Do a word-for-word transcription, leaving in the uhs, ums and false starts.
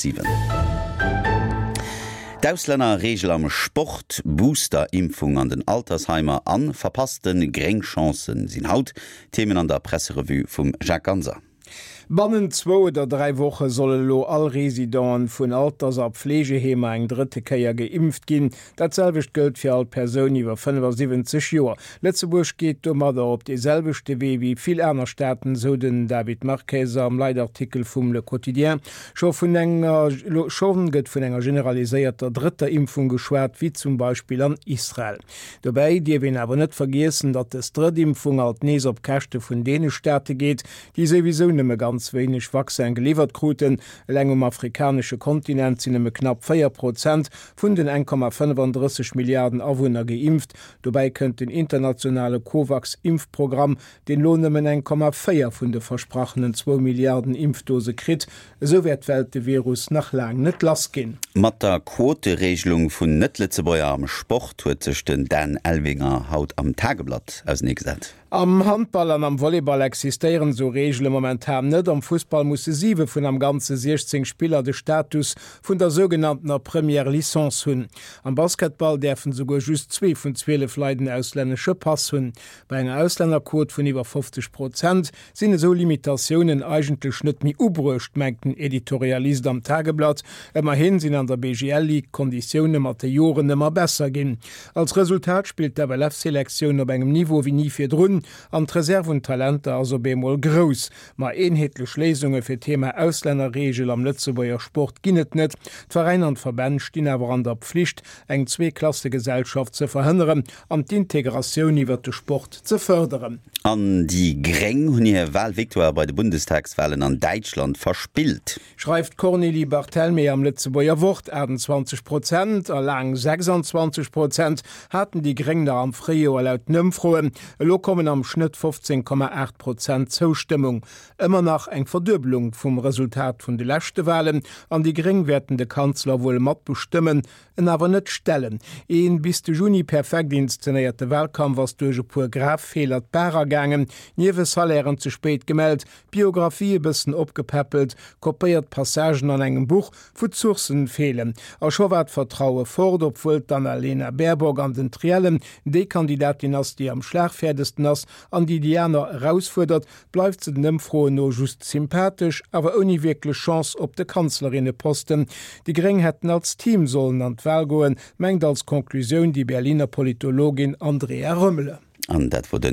siwen. D'Auslännerreegel am Sport, Booster-Impfung an den Altersheimer an verpasste gréng Chancen sinn haut Themen an der Presserevue vum Jacques Ganser. Bannent zwou oder dräi Woche solle lo all Residenten vun Alters a Pflegeheemer eng drëtte Kéier geimpft ginn. Dat selwecht gëllt fir all Persoun iwwer fënnefasiwwenzeg Joer. Lëtzebuerg geet domadder op dee selwechte Wee wéi vill aner Staaten, sou den David Marques am Leitartikel vum Le Quotidien. Scho vun enger schonn gëtt vun enger generaliséierter drëtter Impfung geschwat, wéi zum Beispill an Israel. Dobäi dierf een awer net vergiessen, datt dës drëtt Impfung alt nees op Käschte vun deene Staate geet, déi souwisou nëmme ganz wéineg Vaccin geliwwert kruten. Eleng um afrikanesche Kontinent sinn nëmme knapp véier Prozent vun den eng Komma fënnefandrësseg Milliarden Awunner geimpft. Dobäi kënnt den internationale Covax-Impfprogramm, deen elo nëmmen eng Komma véier vun de versprachenen zwou Milliarden Impfdose kritt. Esou wäert d'Welt de Virus nach laang net lass ginn. Mat der Quotereegelung vun Net-Lëtzebuerger am Sport huet sech den Dan Elvinger haut am Tageblatt auseneegesat. Am Handball an am Volleyball existéieren esou Reegele momentan net. Am Fussball musse siwe vun am Ganze siechzéng Spiller de Status vun der sougenanntener Première Licence hunn. Am Basketball däerfen esouguer just zwee vun zwielef Leit en auslännesche Pass hunn. Bei enger Auslännerquot vun iwwer fofzeg Prozent sinn esou Limitatiounen eigentlech net méi ubruecht, mengt den Editorialist am Tageblatt. Ëmmerhi sinn an der B G L Ligue d'Konditioune mat de Joren ëmmer besser ginn. Als Resultat spillt d'F L F-Selektioun op engem Niveau wéi ni virdrun an d'Reserv un Talenter ass op eemol grouss. Ma eenheetlech Léisunge fir d'Thema Auslännerreegel am Lëtzebuerger Sport ginn et net. D'Veräiner an d'Verbänn stinn awer an der Pflicht, eng Zweeklassegesellschaft ze verhënneren an d'Integratioun iwwer de Sport ze fërderen. An déi Gréng hunn hir Walvictoire bei de Bundestagswalen an Däitschland verspillt. Schreift d'Cornélie Barthelmé am Lëtzebuerger Wort. achtenzwanzeg Prozent a laang sechsanzwanzeg Prozent haten déi Gréng nach am Fréijoer laut den Ëmfroen. Elo kommen am Schnëtt fofzéng Komma aacht Prozent Zoustëmmung. Ëmmer nach eng Verduebelung vum Resultat vun de leschte Walen. An déi Gréng wäerten de Kanzler wuel mat bestëmmen, en awer net stellen. Een bis de Juni perfekt inszenéierte Walkampf ass duerch e puer grav Feeler d'Baach ergaangen, Niewesalairen ze spéit gemellt, Biographie e bëssen opgepäppelt, kopéiert Passagen an engem Buch, wou d'Sourcen feelen. A scho war d'Vertraue fort. Obwuel d'Annalena Baerbock an den Triellen déi Kandidatin ass, déi am schlagfäerdegsten ass an déi déi aner erausfuerdert, bleift se den Ëmfroen no just sympathesch, awer ouni wierklech Chance op de Kanzlerinneposten. Déi Gréng hätten als Team sollen an d'Wal goen, mengt als Conclusioun déi Berliner Politologin Andrea Römmele. An dat wor de